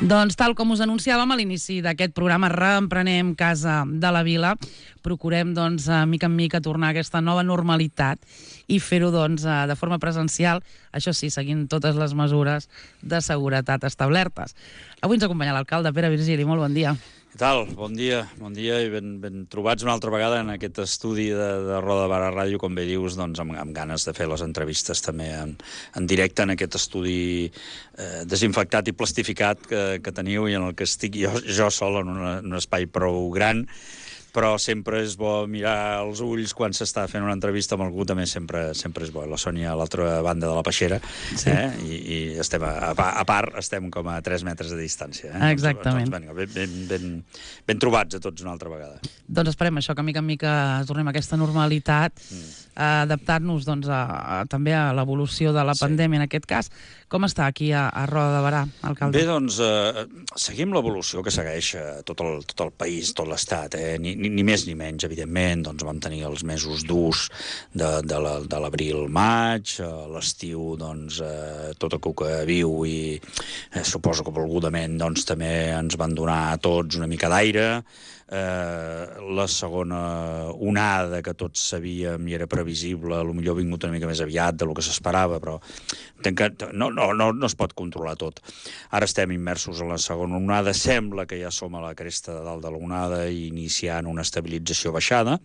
Doncs tal com us anunciàvem a l'inici d'aquest programa Reemprenem Casa de la Vila, procurem doncs mica en mica tornar a aquesta nova normalitat i fer-ho doncs de forma presencial, això sí, seguint totes les mesures de seguretat establertes. Avui ens acompanya l'alcalde Pere Virgili, molt bon dia. Què tal? Bon dia i ben trobats una altra vegada en aquest estudi de Roda de Barà Ràdio, com bé dius, doncs amb ganes de fer les entrevistes també en directe en aquest estudi desinfectat i plastificat que teniu i en el que estic jo sol en un espai prou gran, però sempre és bo mirar els ulls quan s'està fent una entrevista amb algú, també sempre és bo. La Sònia a l'altra banda de la peixera, sí. I estem a part, estem com a 3 metres de distància. Exactament. Doncs, ben trobats a tots una altra vegada. Doncs esperem això, que mica en mica tornem a aquesta normalitat, adaptar-nos doncs, també a l'evolució de la pandèmia en aquest cas. Com està aquí a Roda de Barà, alcalde? Bé, doncs, seguim l'evolució que segueix tot el país, tot l'estat, ni més ni menys, evidentment. Doncs vam tenir els mesos durs de l'abril-maig, l'estiu, doncs, tot el que viu i suposo que volgudament doncs, també ens van donar a tots una mica d'aire. La segona onada que tots sabíem i era previsible, potser ha vingut una mica més aviat del que s'esperava, però no es pot controlar tot. Ara estem immersos en la segona onada, sembla que ja som a la cresta de dalt de l'onada i iniciant una estabilització baixada,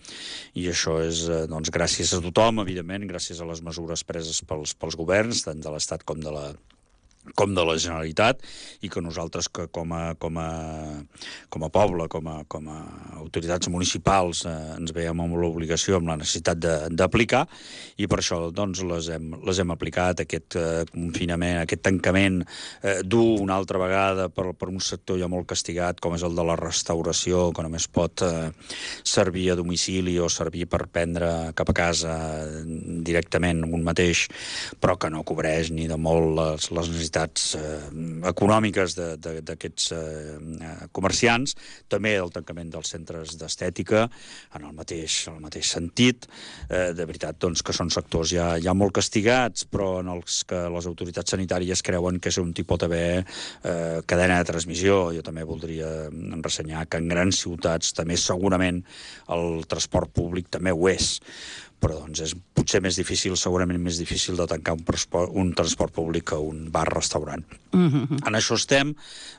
i això és doncs, gràcies a tothom, evidentment, gràcies a les mesures preses pels governs, tant de l'Estat com de la Generalitat, i que nosaltres que com a poble, com a autoritats municipals ens veiem amb l'obligació, amb la necessitat d'aplicar, i per això doncs les hem aplicat, aquest confinament, aquest tancament dur una altra vegada per un sector ja molt castigat com és el de la restauració, que només pot servir a domicili o servir per prendre cap a casa directament un mateix, però que no cobreix ni de molt les necessitats econòmiques d'aquests comerciants, també el tancament dels centres d'estètica en el mateix sentit. De veritat doncs, que són sectors ja molt castigats, però en els que les autoritats sanitàries creuen que és on hi pot haver cadena de transmissió. Jo també voldria ressenyar que en grans ciutats també segurament el transport públic també ho és, però doncs és potser més difícil, segurament més difícil de tancar un transport públic que un bar-restaurant. En això estem.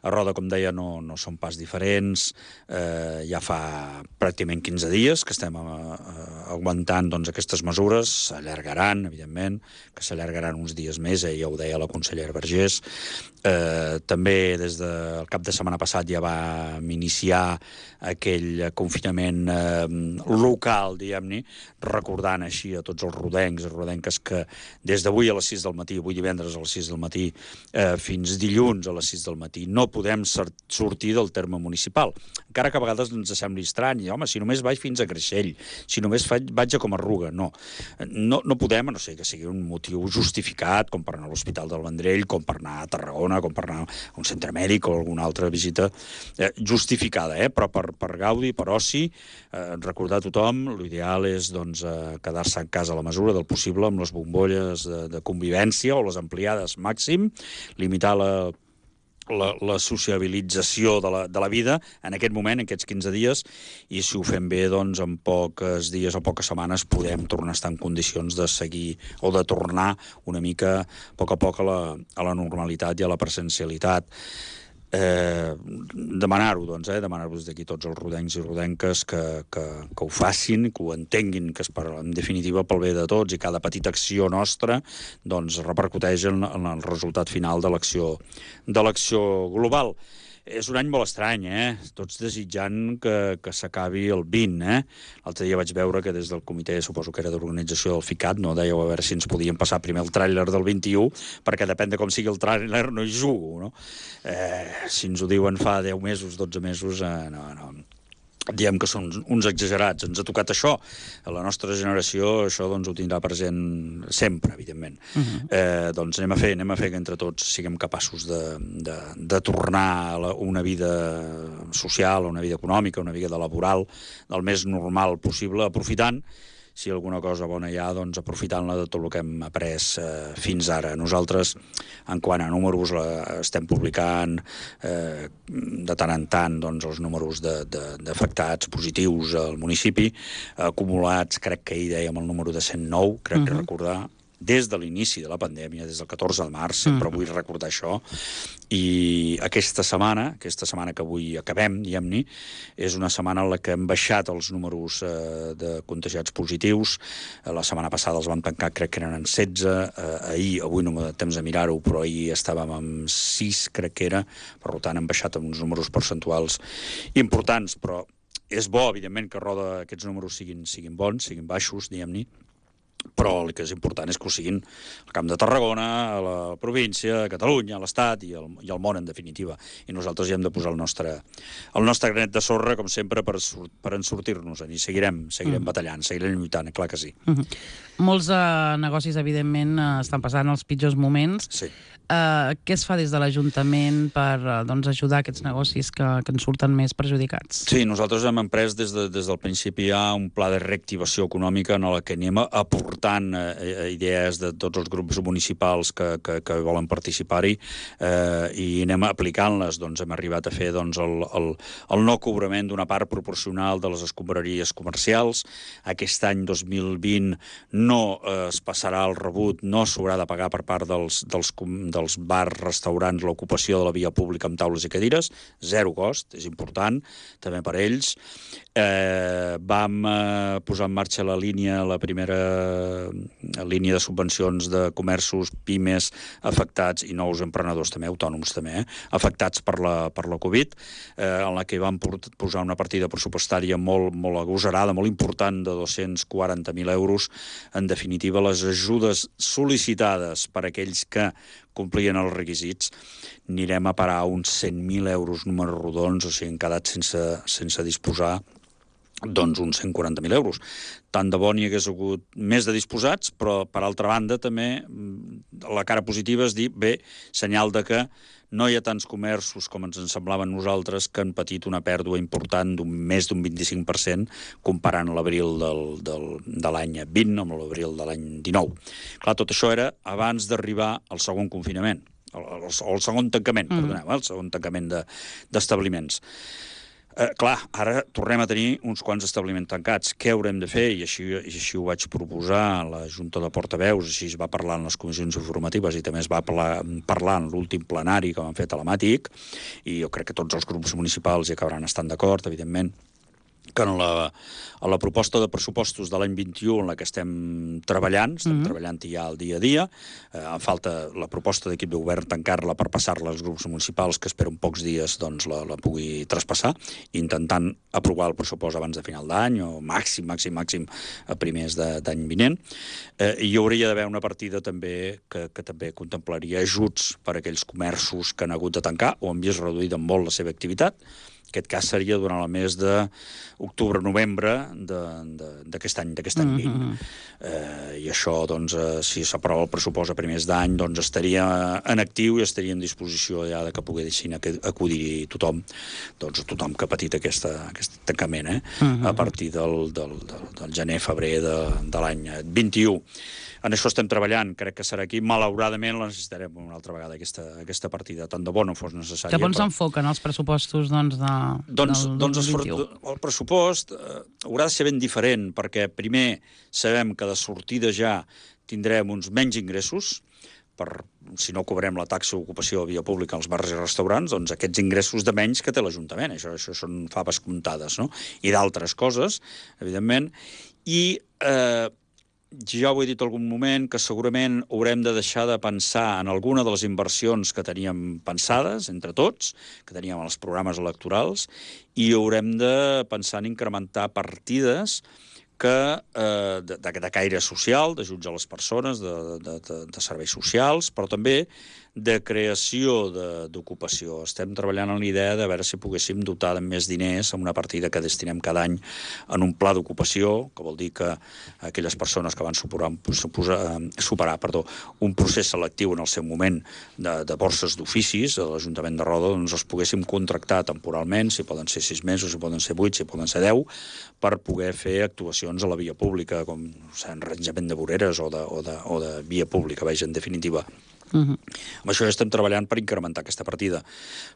A Roda, com deia, no són pas diferents. Ja fa pràcticament 15 dies que estem aguantant doncs, aquestes mesures. S'allargaran, evidentment, que s'allargaran uns dies més, ja ho deia la consellera Vergés. També des del cap de setmana passat ja vam iniciar aquell confinament local, diguem-ne, recordant així a tots els rodencs i rodenques que des d'avui a les 6 del matí, avui divendres a les 6 del matí, fins dilluns a les 6 del matí, no podem sortir del terme municipal. Encara que a vegades ens sembli estrany, home, si només vaig fins a Creixell, si només vaig a Comarruga, no podem, a no ser que sigui un motiu justificat, com per anar a l'Hospital del Vendrell, com per anar a Tarragona, com per anar a un centre mèdic o alguna altra visita justificada, però per gaudi, per oci, recordar a tothom, l'ideal és doncs, quedar-se en casa a la mesura del possible amb les bombolles de convivència o les ampliades màxim, limitar la sociabilització de la vida en aquest moment, en aquests 15 dies, i si ho fem bé, doncs en pocs dies o poques setmanes podem tornar a estar en condicions de seguir o de tornar una mica a poc a la normalitat i a la presencialitat. Demanar-ho, doncs, demanar-vos d'aquí tots els rodencs i rodenques que ho facin, que ho entenguin, que és en definitiva pel bé de tots, i cada petita acció nostra doncs repercuteix en el resultat final de l'acció global. És un any molt estrany, tots desitjant que s'acabi el 20, L'altre dia vaig veure que des del comitè, suposo que era d'organització del FICAT, no dèieu a veure si ens podien passar primer el tràiler del 21, perquè depèn de com sigui el tràiler no hi jugo, no? Si ens ho diuen fa 10 mesos, 12 mesos, no. Diem que són uns exagerats. Ens ha tocat això. A la nostra generació això doncs, ho tindrà present sempre, evidentment. Doncs anem a fer que entre tots siguem capaços de tornar a una vida social, a una vida econòmica, a una vida laboral, del més normal possible, aprofitant si alguna cosa bona hi ha, doncs aprofitant-la de tot el que hem après fins ara. Nosaltres, en quant a números, estem publicant de tant en tant doncs, els números d'afectats positius al municipi, acumulats, crec que ahir dèiem el número de 109, crec que recordar, des de l'inici de la pandèmia, des del 14 de març, sempre vull recordar això, i aquesta setmana que avui acabem, diguem-ne, és una setmana en la que hem baixat els números de contagiats positius. La setmana passada els vam tancar, crec que eren en 16, avui no m'ha de temps de mirar-ho, però ahir estàvem amb 6, crec que era, per tant hem baixat amb uns números percentuals importants, però és bo, evidentment, que aquests números siguin bons, siguin baixos, diguem-ne, però el que és important és que ho siguin al Camp de Tarragona, a la província, a Catalunya, a l'Estat i al món, en definitiva. I nosaltres hi hem de posar el nostre granet de sorra, com sempre, per en sortir-nos-en. I seguirem batallant, seguirem lluitant, clar que sí. Molts negocis, evidentment, estan passant els pitjors moments. Sí. Què es fa des de l'Ajuntament per ajudar aquests negocis que en surten més perjudicats? Sí, nosaltres hem emprès des del principi ja un pla de reactivació econòmica en el que anem aportant idees de tots els grups municipals que volen participar-hi i anem aplicant-les. Doncs hem arribat a fer el no cobrament d'una part proporcional de les escombraries comercials. Aquest any 2020 no es passarà el rebut, no s'haurà de pagar per part dels bars, restaurants, l'ocupació de la via pública amb taules i cadires, zero cost, és important, també per ells. Vam posar en marxa la primera línia de subvencions de comerços, pimes, afectats, i nous emprenedors també, autònoms també, afectats per la Covid, en la que vam posar una partida pressupostària molt agosarada, molt important, de 240.000 euros. En definitiva, les ajudes sol·licitades per aquells que complien els requisits, anirem a parar uns 100.000 euros, números rodons, o sigui, hem quedat sense disposar doncs uns 140.000 euros. Tant de bo n'hi hagués hagut més de disposats, però, per altra banda, també la cara positiva és dir, senyal de que no hi ha tants comerços com ens en semblava a nosaltres que han patit una pèrdua important més d'un 25% comparant l'abril de l'any 20 amb l'abril de l'any 19. Clar, tot això era abans d'arribar al segon confinament, o el segon tancament, perdoneu, el segon tancament d'establiments. Clar, ara tornem a tenir uns quants establiments tancats. Què haurem de fer? I així ho vaig proposar a la Junta de Portaveus, així es va parlar en les comissions informatives i també es va parlar en l'últim plenari que vam fer telemàtic, i jo crec que tots els grups municipals hi acabaran estant d'acord, evidentment, que en la proposta de pressupostos de l'any 21 en la que estem treballant ja el dia a dia, falta la proposta d'equip de govern tancar-la per passar-la als grups municipals, que espero en pocs dies doncs, la pugui traspassar, intentant aprovar el pressupost abans de final d'any, o màxim a primers d'any vinent. I hi hauria d'haver una partida també que també contemplaria ajuts per a aquells comerços que han hagut de tancar o han vist reduïda molt la seva activitat. Aquest cas seria durant el mes d'octubre-novembre d'aquest any 20. I això, doncs, si s'aprova el pressupost a primers d'any, doncs estaria en actiu i estaria en disposició ja de que poguessin acudir tothom, doncs tothom que ha patit aquest tancament, a partir del gener-febrer de l'any 21. En això estem treballant, crec que serà aquí. Malauradament la necessitarem una altra vegada, aquesta partida. Tant de bo no fos necessària. Cap on s'enfoquen els pressupostos del 2021? El pressupost haurà de ser ben diferent, perquè primer sabem que de sortida ja tindrem uns menys ingressos, si no cobrem la taxa d'ocupació a via pública als bars i restaurants, doncs aquests ingressos de menys que té l'Ajuntament. Això són faves comptades, no? I d'altres coses, evidentment. I ja ho he dit algun moment, que segurament haurem de deixar de pensar en alguna de les inversions que teníem pensades, entre tots, que teníem en els programes electorals, i haurem de pensar en incrementar partides de caire social, d'ajuts a les persones, de serveis socials, però també de creació d'ocupació. Estem treballant en l'idea de veure si poguéssim dotar de més diners amb una partida que destinem cada any en un pla d'ocupació, que vol dir que aquelles persones que van superar un procés selectiu en el seu moment de borses d'oficis de l'Ajuntament de Roda, doncs els poguéssim contractar temporalment, si poden ser 6 mesos, si poden ser 8, si poden ser 10, per poder fer actuacions a la via pública, com enranjament de voreres o de via pública, en definitiva. Amb això estem treballant per incrementar aquesta partida,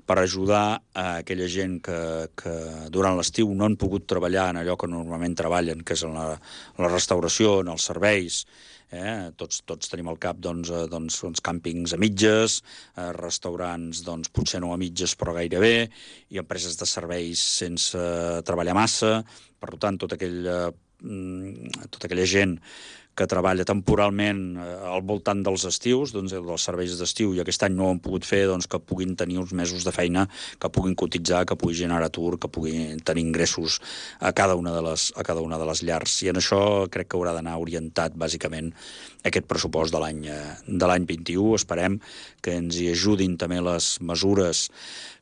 per ajudar a aquella gent que durant l'estiu no han pogut treballar en allò que normalment treballen, que és en la restauració, en els serveis. Tots tenim al cap uns càmpings a mitges, restaurants potser no a mitges però gairebé, i empreses de serveis sense treballar massa. Per tant, tota aquella gent que treballa temporalment al voltant dels estius, dels serveis d'estiu, i aquest any no ho han pogut fer, que puguin tenir uns mesos de feina, que puguin cotitzar, que puguin generar atur, que puguin tenir ingressos a cada una de les llars. I en això crec que haurà d'anar orientat, bàsicament, aquest pressupost de l'any 21. Esperem que ens hi ajudin també les mesures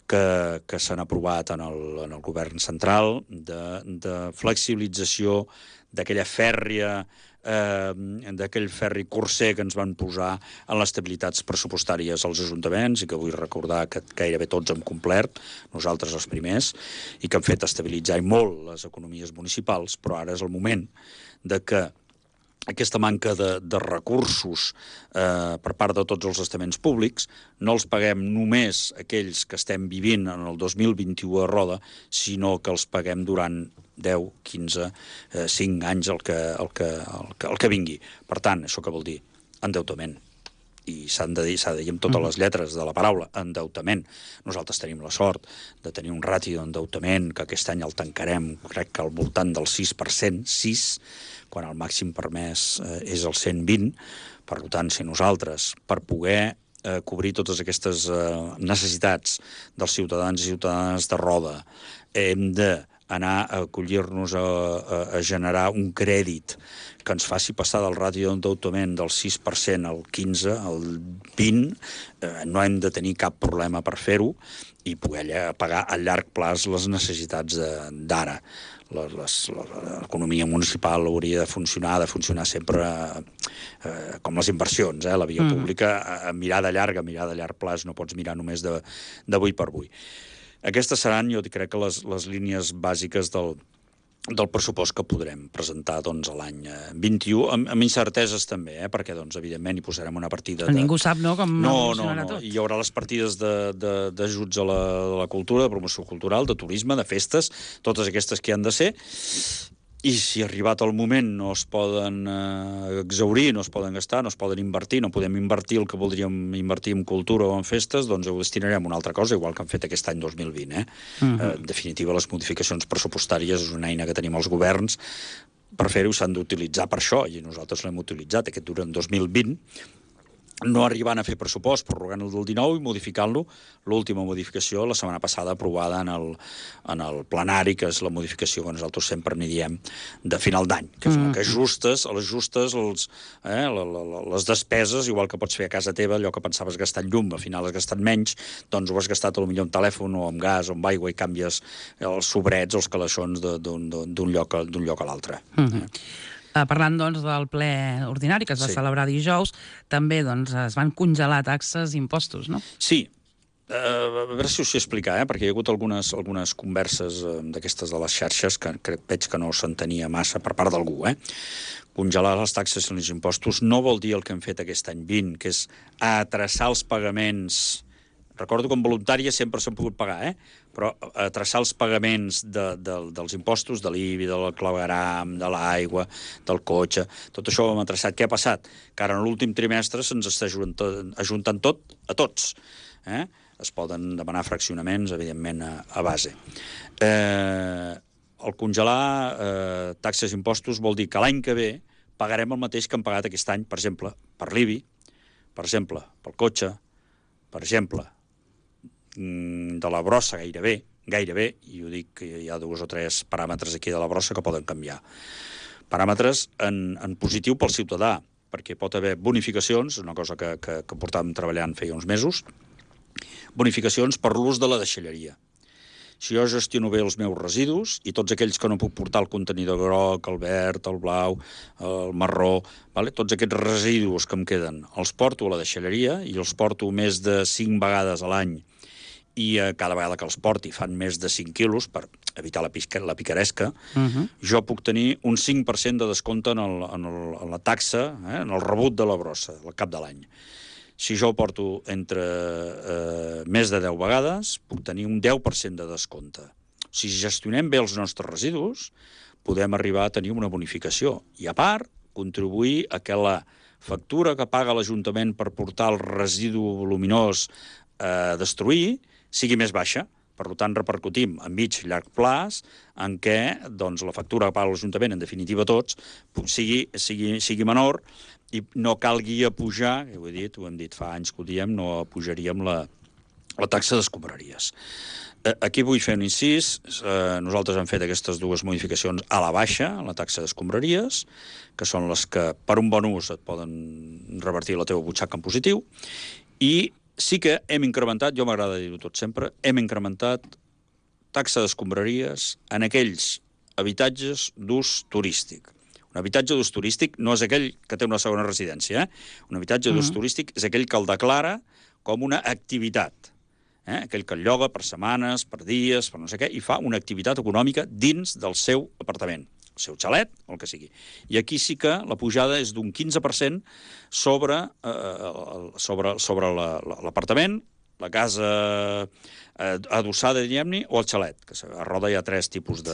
que s'han aprovat en el govern central, de flexibilització d'aquell ferri curser que ens van posar en les estabilitats pressupostàries als ajuntaments, i que vull recordar que gairebé tots hem complert, nosaltres els primers, i que han fet estabilitzar molt les economies municipals, però ara és el moment de que aquesta manca de recursos per part de tots els estaments públics no els paguem només aquells que estem vivint en el 2021 a Roda, sinó que els paguem durant 10, 15, 5 anys el que vingui. Per tant, això què vol dir? Endeutament. I s'ha de dir amb totes les lletres de la paraula, endeutament. Nosaltres tenim la sort de tenir un ràtio d'endeutament que aquest any el tancarem, crec que al voltant del 6%, 6%, quan el màxim permès és el 120%. Per tant, si nosaltres, per poder cobrir totes aquestes necessitats dels ciutadans i ciutadanes de Roda, hem d'anar a acollir-nos a generar un crèdit que ens faci passar del ràtio d'endeutament del 6% al 15%, al 20%, no hem de tenir cap problema per fer-ho i poder pagar a llarg plaç les necessitats d'ara. L'economia municipal hauria de funcionar sempre com les inversions, la via pública, a mirada llarga, a llarg plaç, no pots mirar només d'avui per avui. Aquestes seran, jo crec que les línies bàsiques del pressupost que podrem presentar l'any 21, amb incerteses també, perquè, evidentment, hi posarem una partida... Ningú sap, no?, com evolucionarà tot. Hi haurà les partides d'ajuts a la cultura, de promoció cultural, de turisme, de festes, totes aquestes que han de ser, i si arribat el moment no es poden exhaurir, no es poden gastar, no es poden invertir, no podem invertir el que voldríem invertir en cultura o en festes, doncs ho destinarem a una altra cosa, igual que han fet aquest any 2020. En definitiva, les modificacions pressupostàries és una eina que tenim els governs per fer-ho, s'han d'utilitzar per això, i nosaltres l'hem utilitzat aquest durant 2020, no arribant a fer pressupost, prorrogant el del 19 i modificant-lo, l'última modificació la setmana passada aprovada en el plenari, que és la modificació que nosaltres sempre n'hi diem de final d'any, que ajustes les despeses, igual que pots fer a casa teva, allò que pensaves gastar en llum, al final has gastat menys, doncs ho has gastat potser en telèfon o en gas o en aigua i canvies els sobrets, els calaixons d'un lloc a l'altre. Parlant, del ple ordinari que es va celebrar dijous, també es van congelar taxes i impostos, no? Sí. A veure si us ho explicar, perquè hi ha hagut algunes converses d'aquestes de les xarxes que veig que no s'entenia massa per part d'algú. Congelar les taxes i els impostos no vol dir el que hem fet aquest any 20, que és atraçar els pagaments. Recordo que en voluntària sempre s'han pogut pagar, però traçar els pagaments dels impostos, de l'IBI, del clavegram, de l'aigua, del cotxe, tot això ho hem traçat. Què ha passat? Que ara en l'últim trimestre se'ns està ajuntant tot a tots. Es poden demanar fraccionaments, evidentment, a base. El congelar taxes i impostos vol dir que l'any que ve pagarem el mateix que hem pagat aquest any, per exemple, per l'IBI, per exemple, pel cotxe, per exemple, de la brossa gairebé, i ho dic que hi ha 2 o 3 paràmetres aquí de la brossa que poden canviar. Paràmetres en positiu pel ciutadà, perquè pot haver bonificacions, una cosa que portàvem treballant feia uns mesos, bonificacions per l'ús de la deixalleria. Si jo gestiono bé els meus residus i tots aquells que no puc portar el contenidor groc, el verd, el blau, el marró, tots aquests residus que em queden, els porto a la deixalleria i els porto més de 5 vegades a l'any i cada vegada que els porti fan més de 5 quilos per evitar la picaresca, jo puc tenir un 5% de descompte en la taxa, en el rebut de la brossa, al cap de l'any. Si jo ho porto entre més de 10 vegades, puc tenir un 10% de descompte. Si gestionem bé els nostres residus, podem arribar a tenir una bonificació. I a part, contribuir a que la factura que paga l'Ajuntament per portar el residu voluminós a destruir sigui més baixa. Per tant, repercutim a mig i llarg plaç en què la factura que paga l'Ajuntament, en definitiva tots, sigui menor i no calgui apujar, ho hem dit fa anys que ho diem, no apujaríem la taxa d'escombraries. Aquí vull fer un incís. Nosaltres hem fet aquestes dues modificacions a la baixa, a la taxa d'escombraries, que són les que, per un bon ús, et poden revertir la teva butxaca en positiu, i sí que hem incrementat, jo m'agrada dir-ho tot sempre, hem incrementat taxa d'escombraries en aquells habitatges d'ús turístic. Un habitatge d'ús turístic no és aquell que té una segona residència. Un habitatge d'ús turístic és aquell que el declara com una activitat. Aquell que el lloga per setmanes, per dies, per no sé què, i fa una activitat econòmica dins del seu apartament, el seu xalet, o el que sigui. I aquí sí que la pujada és d'un 15% sobre l'apartament, la casa adossada, diguem-ne, o el xalet, que a Roda hi ha 3 tipus de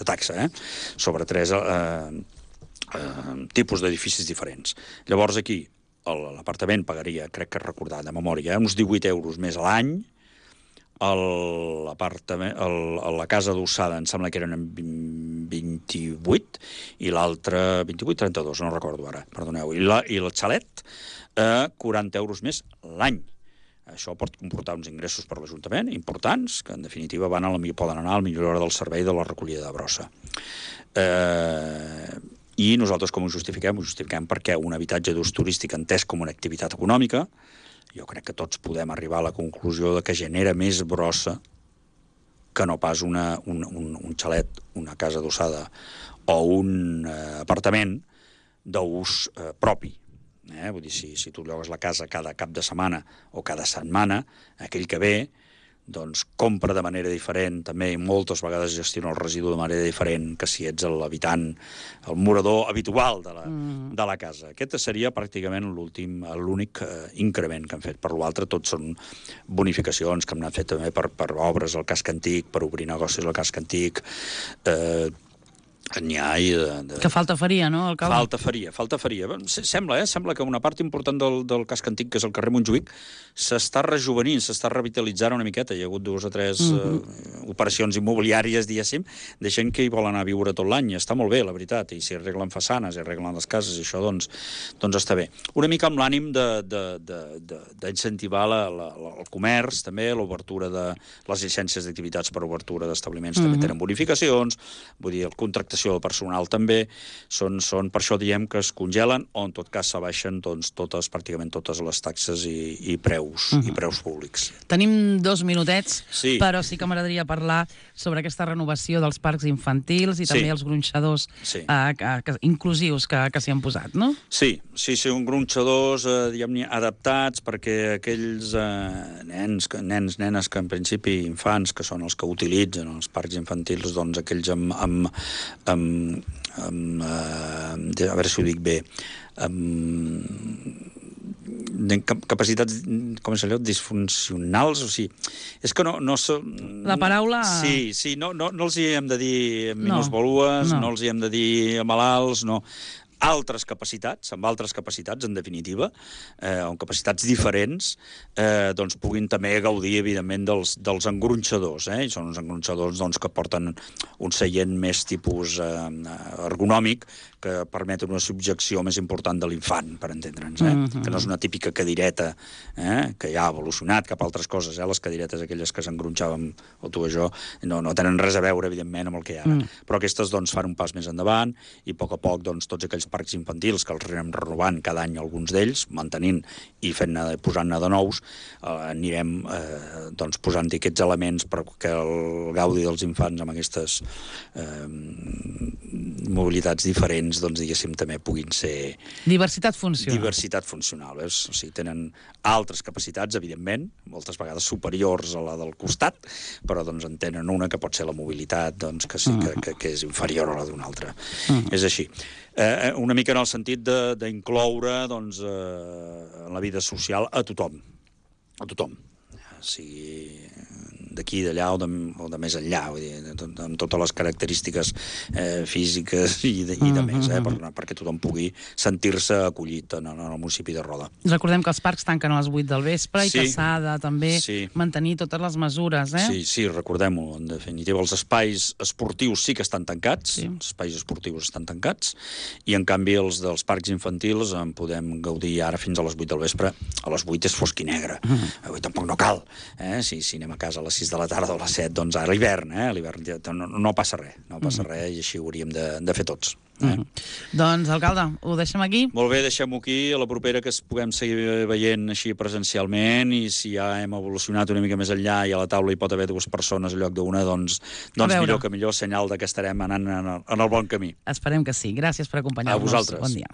taxa, sobre 3 tipus d'edificis diferents. Llavors aquí l'apartament pagaria, crec que recordar de memòria, uns 18 euros més a l'any, la casa adossada em sembla que eren 28 i l'altra 28-32, no recordo ara, perdoneu, i el xalet 40 euros més l'any. Això pot comportar uns ingressos per l'Ajuntament importants, que en definitiva poden anar a la millora del servei de la recollida de brossa. I nosaltres com ho justifiquem? Ho justifiquem perquè un habitatge d'ús turístic entès com una activitat econòmica, jo crec que tots podem arribar a la conclusió de que genera més brossa que no pas un xalet, una casa adossada o un apartament d'ús propi. Vull dir, si tu llogues la casa cada cap de setmana o cada setmana, aquell que ve doncs compra de manera diferent, també moltes vegades gestiona el residu de manera diferent que si ets l'habitant, el morador habitual de la casa. Aquest seria pràcticament l'únic increment que hem fet. Per l'altre, tots són bonificacions que hem anat fet també per obres al casc antic, per obrir negocis al casc antic, n'hi ha que falta faria, no, alcalde? Falta faria. Sembla que una part important del casc antic, que és el carrer Montjuïc, s'està rejuvenint, s'està revitalitzant una miqueta. Hi ha hagut 2 o 3 operacions immobiliàries, diguéssim, de gent que hi vol anar a viure tot l'any. Està molt bé, la veritat. I si arreglen façanes, i arreglen les cases, i això, doncs està bé. Una mica amb l'ànim d'incentivar el comerç, també, l'obertura de les llicències d'activitats per obertura d'establiments també tenen bonificacions, vull dir, el contractació del personal també, per això diem que es congelen o en tot cas s'abaixen pràcticament totes les taxes i preus públics. Tenim 2 minutets, però sí que m'agradaria parlar sobre aquesta renovació dels parcs infantils i també els gronxadors inclusius que s'hi han posat, no? Sí, uns gronxadors, diguem-ne, adaptats perquè aquells nenes, nenes que en principi infants, que són els que utilitzen els parcs infantils, doncs aquells a veure si ho dic bé, capacitats, com és allò, disfuncionals, o sigui, és que no... La paraula... Sí, no els hi hem de dir minusvalues, no els hi hem de dir malalts, no... Altres capacitats, en definitiva, o capacitats diferents, doncs puguin també gaudir, evidentment, dels engronxadors. I són uns engronxadors que porten un seient més tipus ergonòmic, que permeten una subjecció més important de l'infant, per entendre'ns, que no és una típica cadireta que ja ha evolucionat cap a altres coses. Les cadiretes aquelles que s'engronxaven, o tu o jo, no tenen res a veure, evidentment, amb el que hi ha ara. Però aquestes fan un pas més endavant i a poc tots aquells parcs infantils, que els anem renovant cada any alguns d'ells, mantenint i posant-ne de nous, anirem doncs, posant-hi aquests elements perquè el gaudi dels infants amb aquestes mobilitats diferents, doncs, diguéssim, també puguin ser... Diversitat funcional. Diversitat funcional, veus? O sigui, tenen altres capacitats, evidentment, moltes vegades superiors a la del costat, però doncs, en tenen una que pot ser la mobilitat, doncs, que sí que és inferior a la d'una altra. És així. Una mica en el sentit d'incloure doncs, en la vida social a tothom. A tothom. Sigui d'aquí, d'allà o de més enllà, vull dir, amb totes les característiques físiques i de més, perquè tothom pugui sentir-se acollit en el municipi de Roda. Recordem que els parcs tanquen a les 8 del vespre i que s'ha de també mantenir totes les mesures, Sí, recordem-ho. En definitiva, els espais esportius sí que estan tancats, els espais esportius estan tancats, i en canvi els dels parcs infantils en podem gaudir ara fins a les 8 del vespre. A les 8 és fosc i negre. Avui tampoc no cal. Si anem a casa a les 6 de la tarda o a les 7, doncs ara l'hivern, no passa res, i així ho hauríem de fer tots. Doncs, alcalde, ho deixem aquí? Molt bé, deixem-ho aquí, a la propera que es puguem seguir veient així presencialment, i si ja hem evolucionat una mica més enllà i a la taula hi pot haver 2 persones en lloc d'una, doncs millor que millor, senyal que estarem anant en el bon camí. Esperem que sí. Gràcies per acompanyar-nos. A vosaltres. Bon dia.